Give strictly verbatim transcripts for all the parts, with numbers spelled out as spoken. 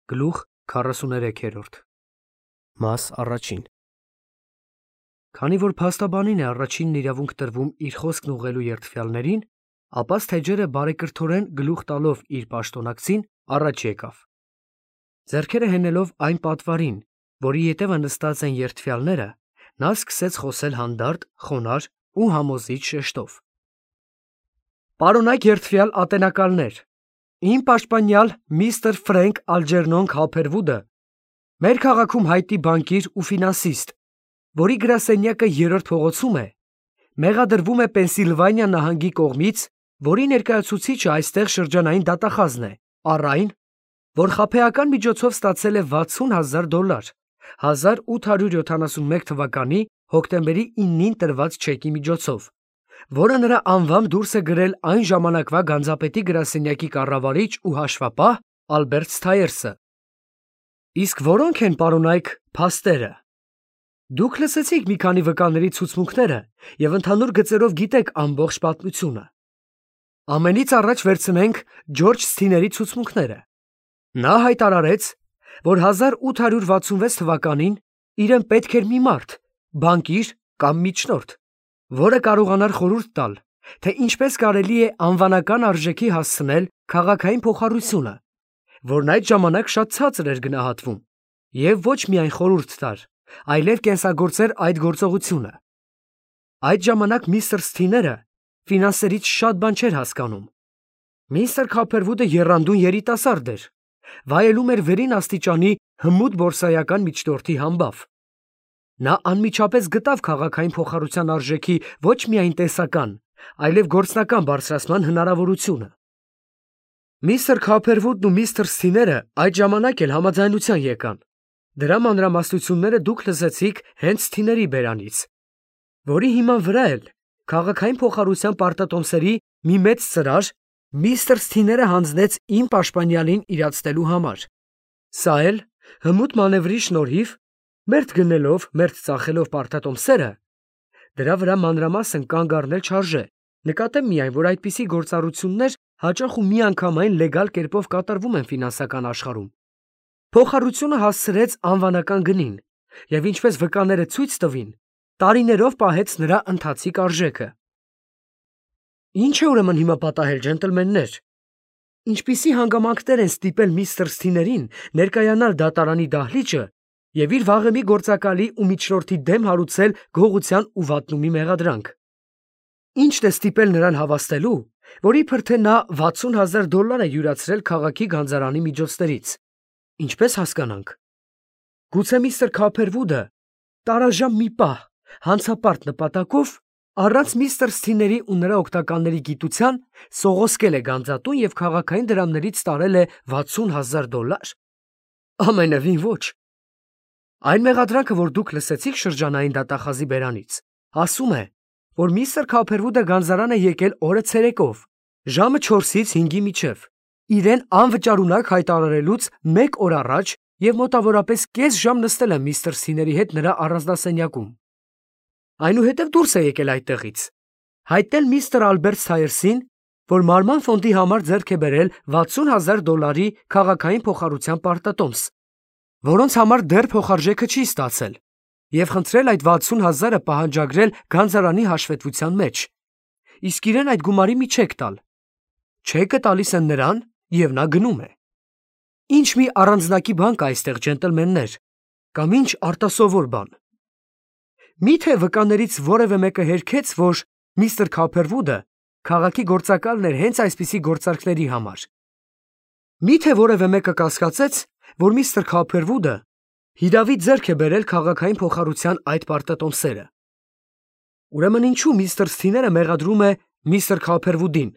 Գլուխ քառասուներեքերորդ Մաս առաջին Քանի որ փաստաբանին է առաջինն իրավունք տրվում իր խոսքն ուղղելու երդվյալներին, ապա Սթեյջերը բարեկրթորեն գլուխ տալով իր պաշտոնակցին առաջ եկավ։ Ձեռքերը հենելով այն պատվարին, որի ետևը նստած են երդվյալները, նա սկսեց խոսել հանդարտ, խոնարհ ու համոզիչ շեշտով. Պարոնայք երդվյալ ատենակալներ, իմ պաշտպանյալ միստր Ֆրենկ Ալջերնոն Քոփերվուդը մեր քաղաքում հայտի բանկիր ու ֆինանսիստ, որի գրասենյակը երրորդ փողոցում է, մեղադրվում է Պենսիլվանիա նահանգի կողմից, որի ներկայացուցիչը այստեղ շրջանային դատախազն է, առ այն, որ խաբեական միջոցով ստացել է վաթսուն հազար դոլար, հազար ութ հարյուր յոթանասունմեկ թվականի հոկտեմբերի իննին տրված չեկի միջոցով, որը նրա անվամբ դուրս է գրել այն ժամանակվա գանձապետի գրասենյակի կառավարիչ ու հաշվապահ Ալբերտ Սթայերսը։ Իսկ որոնք են, պարոնայք, փաստերը։ Դուք լսեցիք մի քանի վկաների ցուցմունքները եւ ընդհանուր գծերով գիտեք ամբողջ պատմությունը։ Ամենից առաջ վերցնենք Ջորջ Սթիների ցուցմունքները։ Նա հայտարարեց, որ հազար ութ հարյուր վաթսունվեց թվականին իրեն պետք էր մի մարդ, բանկիր կամ միջնորդ, որը կարողանար խորհուրդ տալ, թե ինչպես կարելի է անվանական արժեքի հասցնել քաղաքային փոխառությունը, որն այդ ժամանակ շատ ցածր էր գնահատվում, եւ ոչ միայն խորհուրդ տար, այլև կենսագործեր այդ գործողությունը։ Այդ ժամանակ միստր Սթիները ֆինանսերից շատ բան չէր հասկանում։ Միստր Քոփերվուդը եռանդուն երիտասարդ էր, վայելում էր վերին աստիճանի հմուտ բորսայական միջնորդի համբավ։ Նա անմիջապես գտավ քաղաքային փոխառության արժեքի ոչ միայն տեսական, այլև գործնական բարձրացման հնարավորությունը։ Միստր Քոփերվուդն ու միստր Սթիները այդ ժամանակ էլ համաձայնության եկան։ Դրա մանրամասնությունները դուք լսեցիք հենց Սթիների բերանից, որի հիման վրա էլ քաղաքային փոխառության պարտատոմսերի մի մեծ ծրար միստր Սթիները հանձնեց իմ պաշտպանյալին իրացնելու համար։ Սա էլ հմուտ մանևրի շնորհիվ, մերթ գնելով, մերթ ծախելով պարտատոմսերը, դրա վրա մանրամասն կանգ առնել չարժե, նկատեմ միայն, որ այդպիսի գործառույթներ հաճախ ու միանգամայն լեգալ կերպով կատարվում են ֆինանսական աշխարհում։ Փոխառությունը հասցրեց անվանական գնին, եւ ինչպես վկաները ցույց տվին, տարիներով պահեց նրա ընթացիկ արժեքը։ Ինչ է ուրեմն հիմա պատահել, ջենտլմեններ։ Ինչպիսի հանգամանքներ են ստիպել միստր Սթիներին ներկայանալ դատարանի դահլիճը եւ իր վաղեմի գործակալի ու միջնորդի դեմ հարուցել գողության ու վատնումի մեղադրանք։ Ինչն է ստիպել նրան հավաստելու, որ իբր թե նա վաթսուն հազար դոլար է յուրացրել քաղաքի գանձարանի միջոցներից։ Ինչպես հասկանանք։ Գուցե միստր Քոփերվուդը տարաժամ մի պահ հանցապարտ նպատակով առանց միստր Սթիների ու նրա օգտականների գիտության սողոսկել է գանձատուն եւ քաղաքային դրամներից տարել է վաթսուն հազար դոլար։ Ամենևին ոչ։ Այն մեղադրանքը, որ դուք լսեցիք շրջանային դատախազի բերանից, ասում է, որ միստր Քոփերվուդը գանձարան է եկել օրը ցերեկով, ժամը չորսից հինգի միջև, իրեն անվճարունակ հայտարարելուց մեկ օր առաջ եւ մոտավորապես կես ժամ նստել է միստր Սթիների հետ նրա առանձնասենյակում։ Այնուհետև դուրս է եկել այդտեղից, հայտնել միստր Ալբերտ Սթայերսին, որ մարման ֆոնդի համար ձեռք է բերել վաթսուն հազար դոլարի քաղաքային փոխառության պարտատոմս, որոնց համար դեռ փոխարժեքը չի ստացել, եւ խնդրել այդ վաթսուն հազարը պահանջագրել գանձարանի հաշվետվության մեջ, իսկ իրեն այդ գումարի մի չեք տալ։ Չեկը տալիս են նրան, եւ նա գնում է։ Ինչ մի առանձնակի բան կա այստեղ, ջենտլմեններ, կամ ինչ արտասովոր բան։ Միթե վկաներից որևէ մեկը հերքեց, որ միստր Քոփերվուդը քաղաքի գործակալն էր հենց այսպիսի գործարքների համար։ Միթե որևէ մեկը կասկածեց, որ միստր Քոփերվուդը հիրավի ձեռք է բերել քաղաքային փոխառության այդ պարտատոմսերը։ Ուրեմն ինչու միստր Սթիները մեղադրում է միստր Քոփերվուդին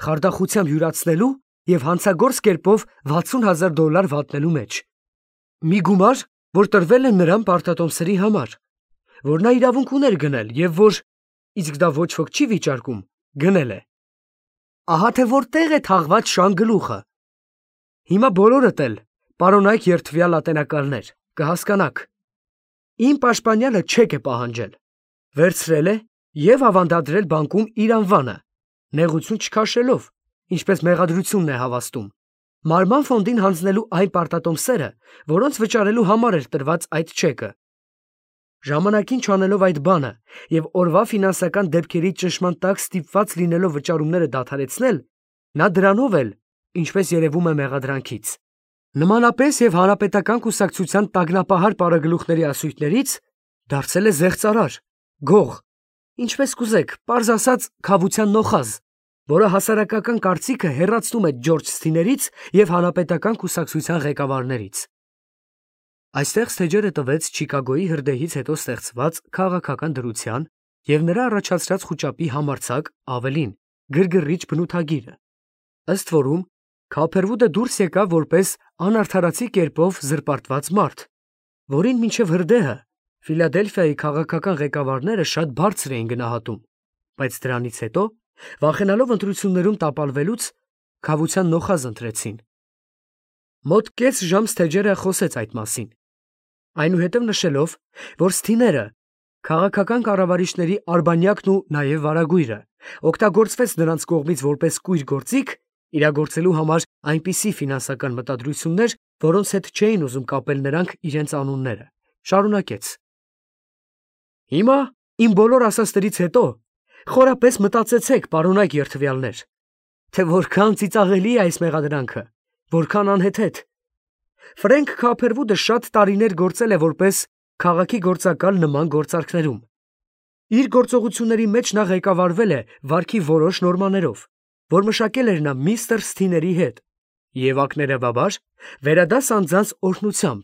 խարդախությամբ յուրացնելու եւ հանցագործ կերպով վաթսուն հազար դոլար վատնելու մեջ։ Մի գումար, որ տրվել է նրան պարտատոմսերի համար, որ նա իրավունք ուներ գնել եւ որ, իսկ դա ոչ ոք չի վիճարկում, գնել է։ Ահա թե որտեղ է թաղված շան գլուխը։ Հիմա բոլորդ էլ, պարոնայք երդվյալ ատենակալներ, կհասկանաք։ Իմ պաշտպանյալը չեք է պահանջել, վերցրել է եւ ավանդադրել բանկում իր անվանը, նեղություն չքաշելով, ինչպես մեղադրությունն է հավաստում, Մարման ֆոնդին հանձնելու այն պարտատոմսերը, որոնց վճարելու համար էր տրված այդ չեկը։ Ժամանակին չանելով այդ բանը եւ օրվա ֆինանսական դեպքերի ճնշման տակ ստիպված լինելով վճարումները դադարեցնել, նա դրանով էլ, ինչպես երևում է մեղադրանքից, նմանապես եւ հանրապետական կուսակցության տագնապահար պարագլուխների ասույթներից դարձել է զեղծարար, գող, ինչպես կուզեք, պարզ ասած քավության նոխազ, որը հասարակական կարծիքը հեռացնում է Ջորջ Սթիներից եւ հանրապետական կուսակցության ղեկավարներից։ Այստեղ Սթեջերը տվեց Չիկագոյի հրդեհից հետո ստեղծված քաղաքական դրության եւ նրա առաջացրած խուճապի համարձակ, ավելին, գրգռիչ բնութագիրը, ըստ որում Քոփերվուդը դուրս եկավ որպես անարդարացի կերպով զրպարտված մարդ, որին մինչև հրդեհը Ֆիլադելֆիայի քաղաքական ղեկավարները շատ բարձր էին գնահատում, բայց դրանից հետո, վախենալով ընտրություններում տապալվելուց, քավության նոխազ ընտրեցին։ Մոտ կես ժամ Սթեջերը խոսեց այդ մասին, այնուհետև նշելով, որ Սթիները, քաղաքական կառավարիչների արբանյակն ու նաև վարագույրը, օգտագործվեց նրանց կողմից որպես կույր գործիք, իրագործելու համար այնպիսի ֆինանսական մտադրություններ, որոնց հետ չէին ուզում կապել նրանք իրենց անունները, շարունակեց. Հիմա իմ բոլոր ասածներից հետո խորապես մտածեցեք, պարոնայք երդվյալներ, թե որքան ծիծաղելի է այս մեղադրանքը, որքան անհեթեթ։ Ֆրենկ Քոփերվուդը շատ տարիներ գործել է որպես քաղաքի գործակալ նման գործարքներում։ Իր գործողությունների մեջ նա ղեկավարվել է վարքի որոշ նորմաներով, որ մշակել էր նա միստր Սթիների հետ, եւ ակներևաբար վերադաս անձանց օրհնությամբ,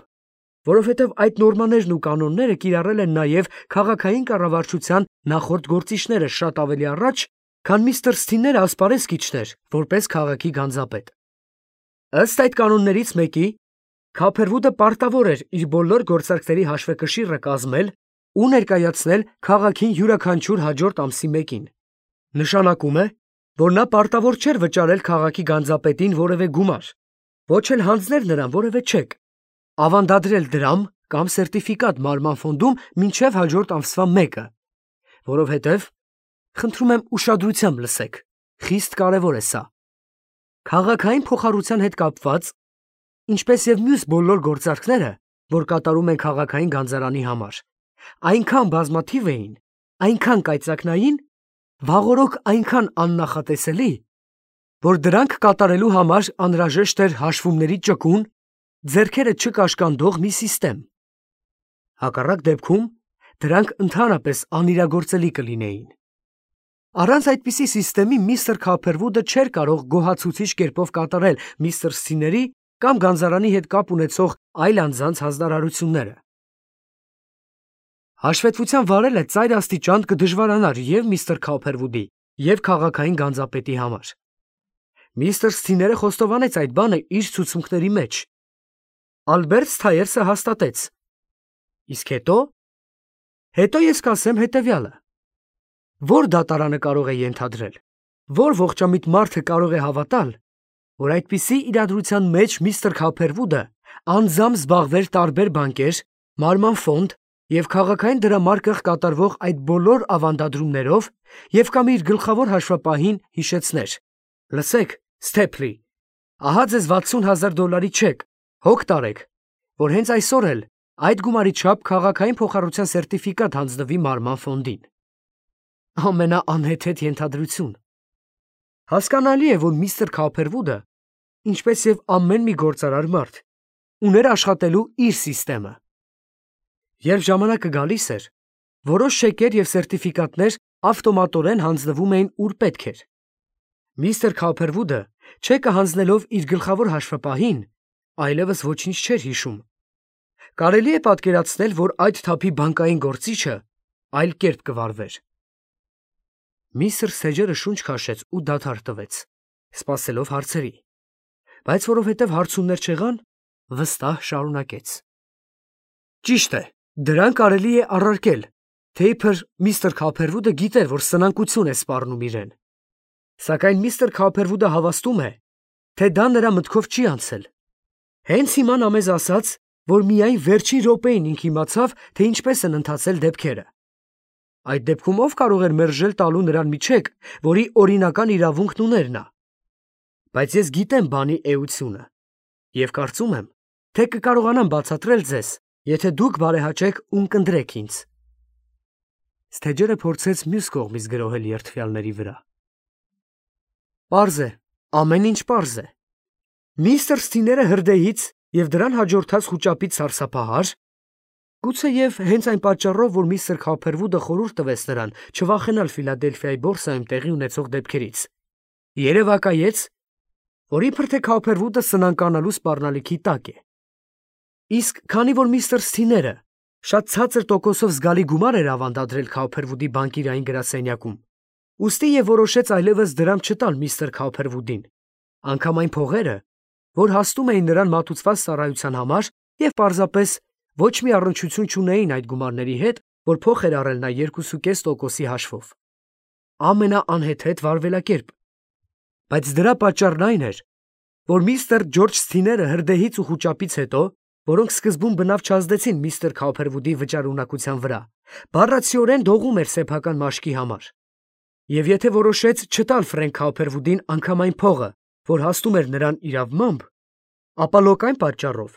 որովհետև այդ նորմաներն ու կանոնները կիրառել են նաև քաղաքային կառավարչության նախորդ գործիչները շատ ավելի առաջ, քան միստր Սթիները ասպարեզ կիչներ, որպես քաղաքի գանձապետ։ Ըստ այդ կանոններից մեկի, Քոփերվուդը պարտավոր էր իր բոլոր գործարքների հաշվեկշիռը կազմել ու ներկայացնել քաղաքին յուրաքանչյուր հաջորդ ամսի մեկին։ Նշանակում է, որ նա պարտավոր չէր վճարել քաղաքի գանձապետին որևէ գումար, ոչ էլ հանձնել նրան որևէ չեք, ավանդադրել դրամ կամ սերտիֆիկատ մարման ֆոնդում մինչև հաջորդ ամսվա մեկը, որովհետև, խնդրում եմ ուշադրությամբ լսեք, խիստ կարևոր է սա։ Քաղաքային փոխառության հետ կապված, ինչպես եւ մյուս բոլոր գործարքները, որ կատարում են քաղաքային գանձարանի համար, այնքան բազմաթիվ էին, այնքան կայծակնային, վաղօրոք այնքան աննախատեսելի, որ դրանք կատարելու համար անհրաժեշտ էր հաշվումների ճկուն, ձեռքերը չկաշկանդող մի սիստեմ։ Հակառակ դեպքում դրանք ընդհանրապես անիրագործելի կլինեին։ Առանց այդպիսի սիստեմի միստր Քոփերվուդը չէր կարող գոհացուցիչ կերպով կատարել միստր Սթիների կամ գանձարանի հետ կապ ունեցող այլ անձանց հանձնարարությունները։ Հաշվետվության վարելը ծայր աստիճան կդժվարանար եւ միստր Քոփերվուդի, եւ քաղաքային գանձապետի համար։ Միստր Սթիները խոստովանեց այդ բանը իր ցուցմունքների մեջ։ Ալբերտ Սթայերսը հաստատեց։ Իսկ հետո, հետո ես կասեմ հետևյալը. որ դատարանը կարող է ենթադրել, որ ողջամիտ մարդը կարող է հավատալ, որ այդպիսի իրադրության մեջ միստր Քոփերվուդը անձամբ զբաղվեր տարբեր բանկեր, մարման ֆոնդ եւ քաղաքային դրամարկղ կատարվող այդ բոլոր ավանդադրումներով եւ կամ իր գլխավոր հաշվապահին հիշեցներ. լսեք, Սթեփլի, ահա ձեզ վաթսուն հազար դոլարի չեք, հոգ տարեք, որ հենց այսօր էլ այդ գումարի չափ քաղաքային փոխառության սերտիֆիկատ հանձնվի մարման ֆոնդին։ Ամենաանհեթեթ ենթադրություն։ Հասկանալի է, որ միստր Քոփերվուդը, ինչպես եւ ամեն մի գործարար մարդ, ուներ աշխատելու իր սիստեմը։ Երբ ժամանակը գալիս էր, որոշ շեկեր եւ սերտիֆիկատներ ավտոմատորեն հանձնվում էին ուր պետք էր։ Միստր Քոփերվուդը չեկը հանձնելով իր գլխավոր հաշվապահին, այլևս ոչինչ չէր հիշում։ Կարելի է պատկերացնել, որ այդ թափի բանկային գործիչը այլ կերպ կվարվեր։ Միստր Սթեջերը շունչ քաշեց ու դադար տվեց, սպասելով հարցերի, բայց որովհետև հարցումներ չեղան, վստահ շարունակեց. Ճիշտ է, դրան կարելի է առարկել, թե իբր միստր Քոփերվուդը գիտեր, որ սնանկություն է սպառնում իրեն, սակայն միստր Քոփերվուդը հավաստում է, թե դա նրա մտքով չի անցել։ Հենց հիմա նա մեզ ասաց, որ միայն վերջին րոպեին ինք իմացավ, թե ինչպես են ընթացել դեպքերը։ Այդ դեպքում ով կարող էր մերժել տալու նրան մի չեք, որի օրինական իրավունքն ուներ նա։ Բայց ես գիտեմ բանի էությունը։ Եվ կարծում եմ, թե կկարողանամ բացատրել ձեզ, եթե դուք բարեհաճեք ու կընտրեք ինձ։ Ստեջերը փորձեց մյուս կողմից գրոհել երդվյալների վրա։ Պարզ է, ամեն ինչ պարզ է։ Միստր Սթիները հրդեհից և դրան հաջորդած խուճապից սարսափահար, գուցեև հենց այն պատճառով, որ միստր Քոփերվուդը խորհուրդ տվեց նրան չվախենալ Ֆիլադելֆիայի բորսայում տեղի ունեցող դեպքերից, երևակայեց, որ իբր թե Քոփերվուդը սնանկանալու սպառնալիքի տակ է։ Իսկ քանի որ միստր Սթիները շատ ցածր տոկոսով զգալի գումար էր ավանդադրել Քոփերվուդի բանկիրային գրասենյակում, ուստի և որոշեց այլևս դրամ չտալ միստր Քոփերվուդին, անգամ այն փողերը, որ հասնում էին նրան մատուցված ծառայության համար և պարզապես ոչ մի առնչություն չունեին այդ գումարների հետ, որ փող էր առել նա երկուսուկես տոկոսի հաշվով։ Ամենաանհեթեթ վարվելակերպ։ Բայց դրա պատճառն այն էր, որ միստր Ջորջ Սթիները հրդեհից ու խուճապից հետո, որոնք սկզբում բնավ չազդեցին միստր Քոփերվուդի վճարունակության վրա, բառացիորեն դողում էր սեփական մաշկի համար։ Եվ եթե որոշեց չտալ Ֆրենկ Քոփերվուդին անգամ այն փողը, որ հասնում էր նրան իրավմամբ, ապա լոկ այն պատճառով,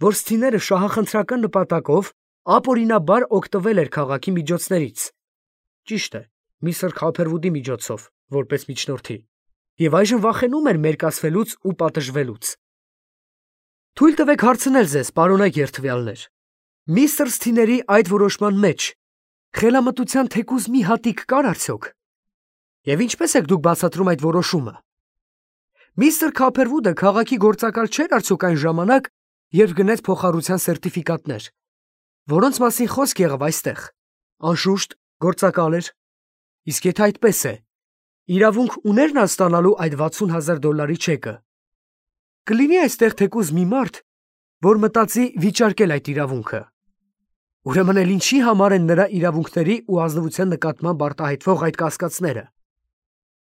որ Սթիները շահախնդրական նպատակով ապօրինաբար օգտվել էր քաղաքի միջոցներից, ճիշտ է, միստր Քոփերվուդի միջոցով, որպես միջնորդի, և այժմ վախենում էր մերկացվելուց ու պատժվելուց։ Թույլ տվեք հարցնել ձեզ, պարոնայք երդվյալներ, միստր Սթիների այդ որոշման մեջ խելամտության թեկուզ մի հատիկ կար արդյոք։ Եվ ինչպես եք դուք բացատրում այդ որոշումը։ Միստր Քոփերվուդը քաղաքի գործակալ չէր արդյոք այն ժամանակ, երբ գնեց փոխառության սերտիֆիկատներ, որոնց մասին խոսք եղավ այստեղ։ Անշուշտ, գործակալ էր։ Իսկ եթե այդպես է, իրավունք ուներ նա ստանալու այդ վաթսուն հազար դոլարի չեկը։ Կլինի այստեղ թեկուզ մի մարդ, որ մտածի վիճարկել այդ իրավունքը։ Ուրեմն էլ ինչի համար են նրա իրավունքների ու ազնվության նկատմամբ արտահայտվող այդ կասկածները։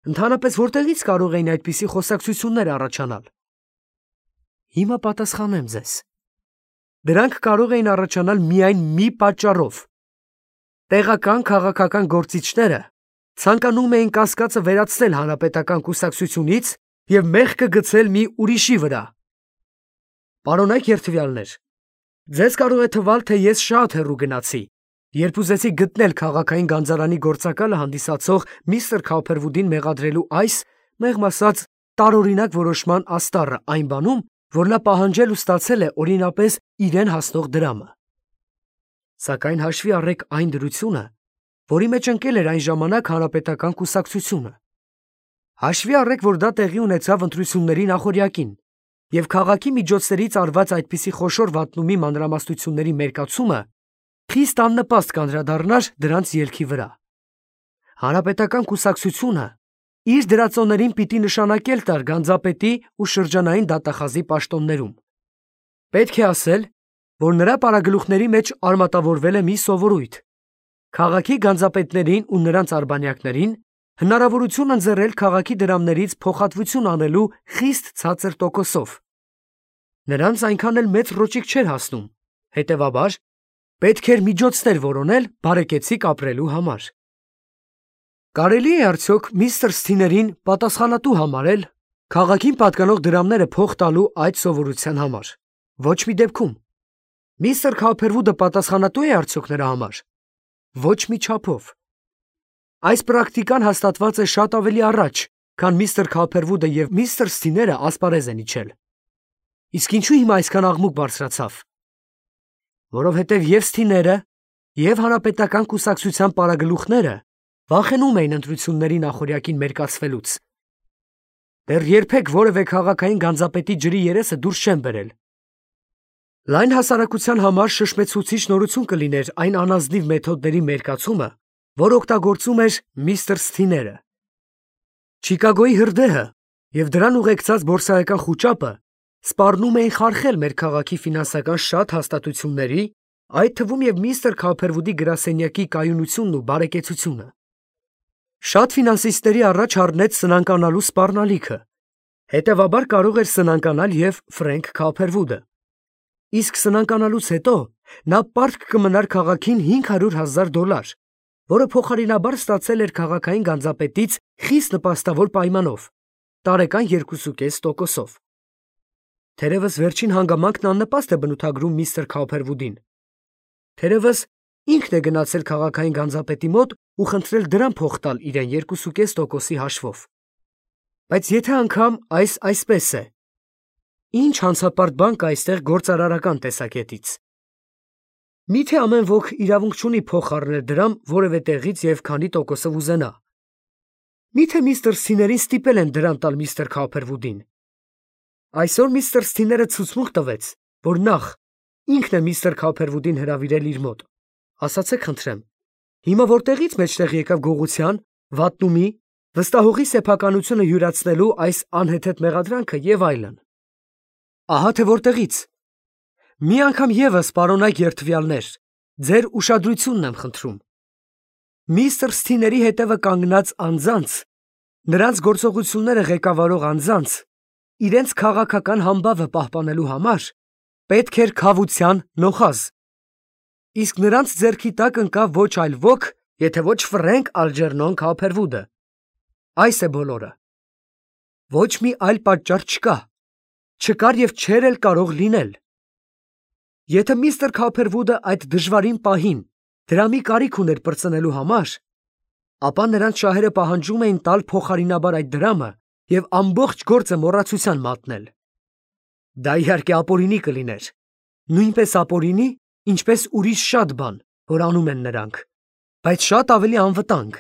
Ընդհանրապես որտեղից կարող էին այդպիսի խոսակցություններ առաջանալ։ Հիմա պատասխանեմ ձեզ։ Դրանք կարող էին առաջանալ միայն մի պատճառով։ Տեղական քաղաքական գործիչները ցանկանում էին կասկածը վերացնել հանրապետական կուսակցությունից և մեղքը գցել մի ուրիշի վրա։ Պարոնայք երդվյալներ, ձեզ կարող է թվալ, թե ես շատ հեռու գնացի, երբ ուզեցի գտնել քաղաքային գանձարանի գործակալը հանդիսացող միստր Քոփերվուդին մեղադրելու այս, մեղմ ասած, տարօրինակ որոշման աստառը այն բանում, որ նա պահանջել ու ստացել է օրինապես իրեն հասնող դրամը։ Սակայն հաշվի առեք այն դրությունը, որի մեջ ընկել էր այն ժամանակ հանրապետական կուսակցությունը։ Հաշվի առեք, որ դա տեղի ունեցավ ընտրությունների նախօրյակին, և քաղաքի միջոցներից արված այդպիսի խոշոր վատնումի մանրամասնությունների մերկացումը խիստ աննպաստ կանդրադառնար դրանց ելքի վրա։ Հանրապետական կուսակցությունը իր դրածոներին պիտի նշանակել տար գանձապետի ու շրջանային դատախազի պաշտոններում։ Պետք է ասել, որ նրա պարագլուխների մեջ արմատավորվել է մի սովորույթ. քաղաքի գանձապետներին ու նրանց արբանյակներին հնարավորություն ընձեռել քաղաքի դրամներից փոխհատվություն անելու խիստ ցածր տոկոսով։ Նրանց այնքան էլ մեծ ռոճիկ չէր հասնում, հետևաբար պետք էր միջոցներ որոնել բարեկեցիկ ապրելու համար։ Կարելի է արդյոք միստր Սթիներին պատասխանատու համարել քաղաքին պատկանող դրամները փող տալու այդ սովորության համար։ Ոչ մի դեպքում։ Միստր Քոփերվուդը պատասխանատու է արդյոք նրա համար։ Ոչ մի չափով։ Այս պրակտիկան հաստատված է շատ ավելի առաջ, քան միստր Քոփերվուդը և միստր Սթիները ասպարեզ են իջել։ Իսկ ինչու հիմա այսքան աղմուկ բարձրացավ։ Որովհետև և Սթիները, և հանրապետական կուսակցության պարագլուխները վախենում էին ընտրությունների նախօրյակին մերկացվելուց։ Դեռ երբեք որևէ քաղաքային գանձապետի ջրի երեսը դուրս չեն բերել։ Լայն հասարակության համար շշմեցուցիչ նորություն կլիներ այն անազնիվ մեթոդների մերկացումը, որ օգտագործում էր միստր Սթիները։ Չիկագոյի հրդեհը և դրան ուղեկցած բորսայական խուճապը սպառնում էին խարխել մեր քաղաքի ֆինանսական շատ հաստատությունների, այդ թվում և միստր Քոփերվուդի գրասենյակի կայունությունն ու բարեկեցությունը։ Շատ ֆինանսիստների առաջ առնեց սնանկանալու սպառնալիքը, հետևաբար կարող էր սնանկանալ և Ֆրենկ Քոփերվուդը։ Իսկ սնանկանալուց հետո նա պարտք կմնար քաղաքին հինգ հարյուր հազար դոլար, որը փոխարինաբար ստացել էր քաղաքային գանձապետից խիստ նպաստավոր պայմանով՝ տարեկան երկուսուկես տոկոսով։ Թերևս վերջին հանգամանքն աննպաստ է բնութագրում միստր Քոփերվուդին։ Թերևս ինքն է գնացել քաղաքային գանձապետի մոտ ու խնդրել դրամ փող տալ իրեն երկու կես տոկոսի հաշվով։ Բայց եթե անգամ այս այսպես է, ինչ հանցապարտ բան կա այստեղ գործարարական տեսակետից։ Միթե ամեն ոք իրավունք չունի փող խառնել դրամ որևէ տեղից և քանի տոկոսով ուզենա։ Միթե միստր Սթիներին ստիպել են դրամ տալ միստր Քոփերվուդին։ Այսօր միստր Սթիները ցուցմունք տվեց, որ նախ ինքն է միստր Քոփերվուդին հրավիրել իր մոտ։ Ասացեք խնդրեմ, հիմա որտեղից մեջտեղ եկավ գողության, վատնումի, վստահողի սեփականությունը յուրացնելու այս անհեթեթ մեղադրանքը և այլն։ Ահա թե որտեղից։ Մի անգամ ևս, պարոնայք երդվյալներ, ձեր ուշադրությունն եմ խնդրում։ Միստր Սթիների հետևը կանգնած անձանց, նրանց գործողությունները ղեկավարող անձանց, իրենց քաղաքական համբավը պահպանելու համար պետք էր քավության նոխազ։ Իսկ նրանց ձեռքի տակ ընկավ ոչ այլ ոք, եթե ոչ Ֆրենկ Ալջերնոն Քոփերվուդը։ Այս է բոլորը։ Ոչ մի այլ պատճառ չկա, չկար և չէր էլ կարող լինել։ Եթե միստր Քոփերվուդը այդ դժվարին պահին դրամի կարիք ուներ պրծնելու համար, ապա նրանց շահերը պահանջում էին տալ փոխարինաբար այդ դրամը և ամբողջ գործը մոռացության մատնել։ Դա իհարկե ապօրինի կլիներ, նույնպես ապօրինի, ինչպես ուրիշ շատ բան, որ անում են նրանք, բայց շատ ավելի անվտանգ։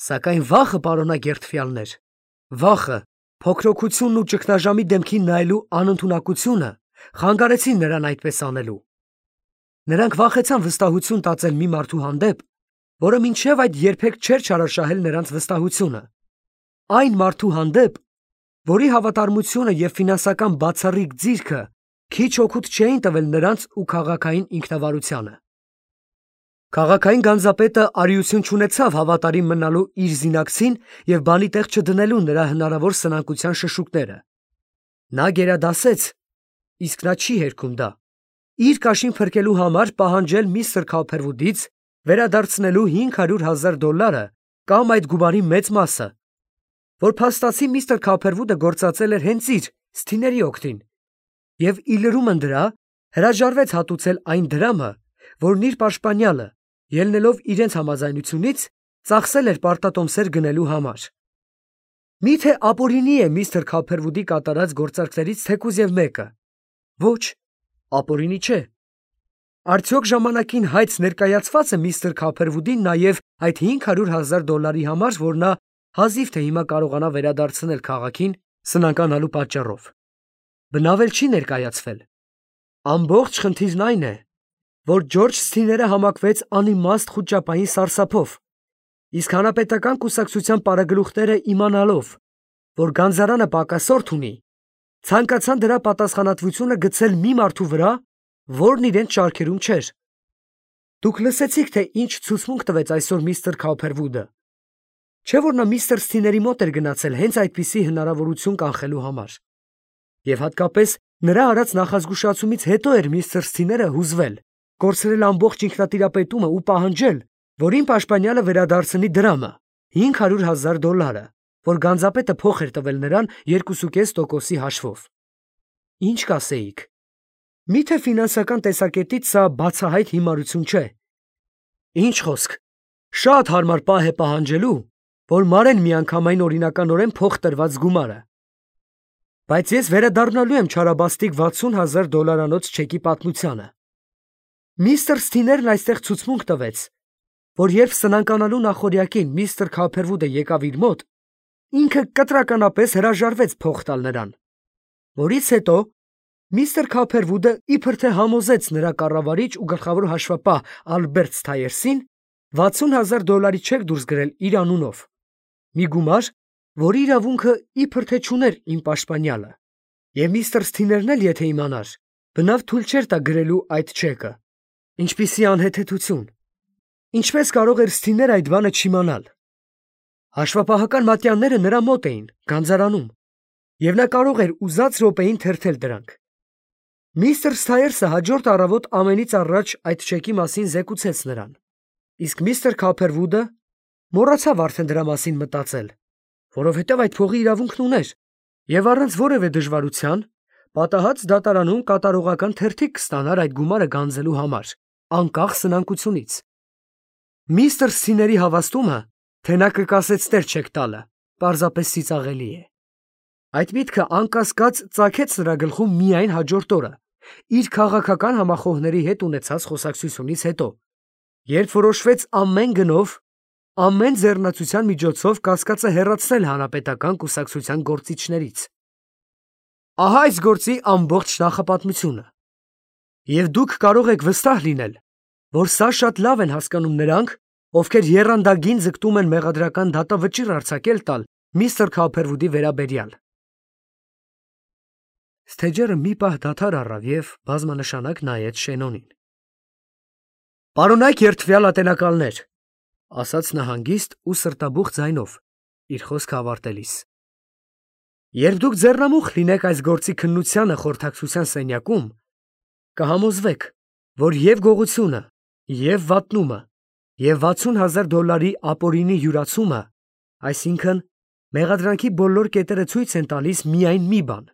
Սակայն վախը, պարոնայք երդվյալներ, վախը, փոքրոքությունն ու ճգնաժամի դեմքին նայելու անընդունակությունը խանգարեցին նրան այդպես անելու։ Նրանք վախեցան վստահություն տածել մի մարդու հանդեպ, որը մինչև այդ երբեք չէր չարաշահել նրանց վստահությունը, այն մարդու հանդեպ, որի հավատարմությունը և ֆինանսական բացառիկ ձիրքը քիչ օգուտ չէին տվել նրանց ու քաղաքային ինքնավարությանը։ Քաղաքային գանձապետը արիություն չունեցավ հավատարիմ մնալու իր զինակցին և բանի տեղ չդնելու նրա հնարավոր սնանկության շշուկները։ Նա գերադասեց, իսկ նա չի հերքում դա, իր կաշին փրկելու համար պահանջել միստր Քոփերվուդից վերադարձնելու հինգ հարյուր հազար դոլարը կամ այդ գումարի մեծ մասը, որ փաստացի միստր Քոփերվուդը գործածել էր հենց իր Սթիների օգտին, և ի լրումն դրա հրաժարվեց հատուցել այն դրամը, որն իր պաշտպանյալը, ելնելով իրենց համաձայնությունից, ծախսել էր պարտատոմսեր գնելու համար։ Միթե ապօրինի է միստր Քոփերվուդի կատարած գործարքներից թեկուզ և մեկը։ Ոչ, ապօրինի չէ։ Արդյոք ժամանակին հայց ներկայացված է միստր Քոփերվուդին նաև այդ հինգ հարյուր հազար դոլարի համար, որ նա հազիվ թե հիմա կարողանա վերադարձնել քաղաքին սնանկանալու պատճառով։ Բնավ էլ չի ներկայացվել։ Ամբողջ խնդիրն այն է, որ Ջորջ Սթիները համակվեց անիմաստ խուճապային սարսափով, իսկ հանրապետական կուսակցության պարագլուխները իմանալով, որ գանձարանը պակասորդ ունի, ցանկացան դրա պատասխանատվությունը գցել մի մարդու վրա, որն իրենց շարքերում չէր։ Դուք լսեցիք, թե ինչ ցուցմունք տվեց այսօր միստր Քոփերվուդը։ Չէ՞ որ նա միստր Սթիների մոտ էր գնացել հենց այդպիսի հնարավորություն կանխելու համար։ Եվ հատկապես նրա արած նախազգուշացումից հետո էր միստր Սթիները հուզվել, կորցրել ամբողջ ինքնատիրապետումը ու պահանջել, որ իմ պաշտպանյալը վերադարձնի դրամը, հինգ հարյուր հազար դոլարը, որ գանձապետը փող էր տվել նրան երկու կես տոկոսի հաշվով։ Ինչ կասեիք։ Միթե ֆինանսական տեսակետից սա բացահայտ հիմարություն չէ։ Ինչ խոսք, շատ հարմար պահ է պահանջելու, որ մարեն միանգամայն օրինականորեն փող տրված գումարը։ Բայց ես վերադառնալու եմ չարաբաստիկ վաթսուն հազար դոլարանոց չեկի պատմությանը։ Միստր Սթիներն այստեղ ցուցմունք տվեց, որ երբ սնանկանալու նախօրյակին միստր Քոփերվուդը եկավ իր մոտ, ինքը կտրականապես հրաժարվեց փող տալ նրան, որից հետո միստր Քոփերվուդը իբր թե համոզեց նրա կառավարիչ ու գլխավոր հաշվապահ Ալբերտ Սթայերսին վաթսուն հազար դոլարի չեք դուրս գրել իր անունով, մի գումար, որի իրավունքը իբր թե չուներ իմ պաշտպանյալը, և միստր Սթիներն էլ եթե իմանար, բնավ թույլ չէր տա գրելու այդ չեկը։ Ինչպիսի անհեթեթություն։ Ինչպես կարող էր Սթիները այդ բանը չիմանալ։ Հաշվապահական մատյանները նրա մոտ էին, գանձարանում, և նա կարող էր ուզած րոպեին թերթել դրանք։ Միստր Սթայերսը հաջորդ առավոտ ամենից առաջ այդ չեկի մասին զեկուցեց նրան, իսկ միստր Քոփերվուդը մոռացավ արդեն դրա մասին մտածել, որովհետև այդ փողի իրավունքն ուներ, և առանց որևէ դժվարության Պատահած դատարանում կատարողական թերթիկ կստանար այդ գումարը գանձելու համար, անկախ սնանկությունից։ Միստր Սիների հավաստումը, թե նա կկասեցներ չեք տալը, պարզապես ծիծաղելի է։ Այդ միտքը անկասկած ծագեց նրա գլխում միայն հաջորդ օրը, իր քաղաքական համախոհների հետ ունեցած խոսակցությունից հետո, երբ որոշվեց ամեն գնով, ամեն ձեռնացության միջոցով կասկածը հեռացնել հանրապետական կուսակցության գործիչներից։ Ահա այս գործի ամբողջ նախապատմությունը։ Եվ դուք կարող եք վստահ լինել, որ սա շատ լավ են հասկանում նրանք, ովքեր եռանդագին ձգտում են մեղադրական դատավճիռ արձակել տալ միստր Քոփերվուդի վերաբերյալ։ Սթեջերը մի պահ դադար առավ և բազմանշանակ նայեց Շենոնին։ «Պարոնայք երդվյալ ատենակալներ», ասաց նա հանգիստ ու սրտաբուխ ձայնով, իր խոսքը ավարտելիս։ «Երբ դուք ձեռնամուխ լինեք այս գործի քննությանը խորհրդակցության սենյակում, կհամոզվեք, որ և գողությունը, և վատնումը, և վաթսուն հազար դոլարի ապօրինի յուրացումը, այսինքն մեղադրանքի բոլոր կետերը ցույց են տալիս միայն մի բան.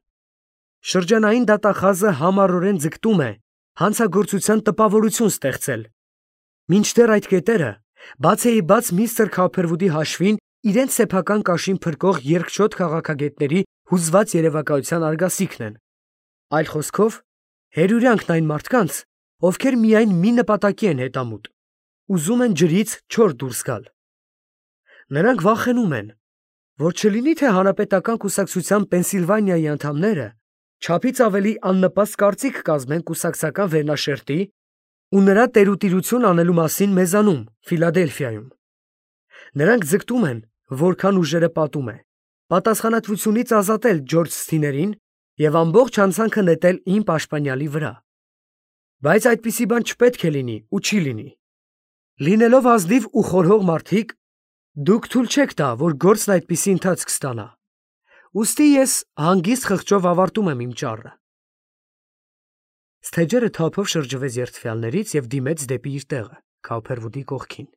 շրջանային դատախազը համառորեն ձգտում է հանցագործության տպավորություն ստեղծել, մինչդեռ այդ կետերը բացեիբաց միստր Քոփերվուդի հաշվին իրենց սեփական կաշին փրկող երկչոտ քաղաքագետների հուզված երևակայության արգասիքն են, այլ խոսքով, հերյուրյանքն այն մարդկանց, ովքեր միայն մի նպատակի են հետամուտ, ուզում են ջրից չոր դուրս գալ։ Նրանք վախենում են, որ չլինի թե հանրապետական կուսակցության Պենսիլվանիայի անդամները չափից ավելի աննպաստ կարծիք կազմեն կուսակցական վերնաշերտի ու նրա տերուտիրություն անելու մասին մեզանում, Ֆիլադելֆիայում։ Նրանք ձգտում են, որքան ուժերը պատում է, պատասխանատվությունից ազատել Ջորջ Սթիներին և ամբողջ հանցանքը նետել իմ պաշտպանյալի վրա։ Բայց այդպիսի բան չպետք է լինի ու չի լինի։ Լինելով ազնիվ ու խորհող մարդիկ, դուք թույլ չեք տա, որ գործն այդպիսի ընթացք ստանա։ Ուստի ես հանգիստ խղճով ավարտում եմ իմ ճառը։ Սթեջերը թափով շրջվեց երդվյալներից և դիմեց դեպի իր տեղը, Քոփերվուդի կողքին։